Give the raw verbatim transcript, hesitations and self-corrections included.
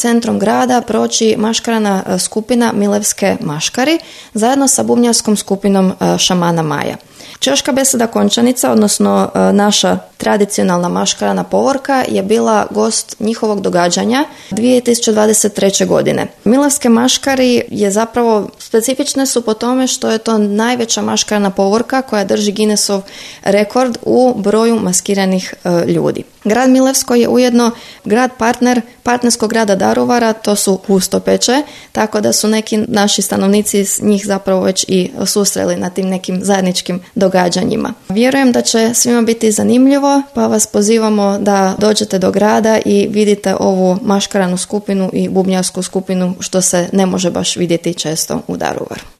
centrom grada proći maškarana skupina Milevske maškari zajedno sa bubnjarskom skupinom šamana Maja. Češka beseda Končanica, odnosno naša tradicionalna maškarana povorka, je bila gost njihovog događanja dvije tisuće dvadeset treće. godine. Milevske maškari je zapravo specifične su po tome što je to najveća maškarana povorka koja drži Guinnessov rekord u broju maskiranih e, ljudi. Grad Milevsko je ujedno grad partner partnerskog grada Daruvara, to su Hustopeče, tako da su neki naši stanovnici s njih zapravo već i susreli na tim nekim zajedničkim događanjima. Vjerujem da će svima biti zanimljivo, pa vas pozivamo da dođete do grada i vidite ovu maškaranu skupinu i bubnjarsku skupinu, što se ne može baš vidjeti često u Daruvaru.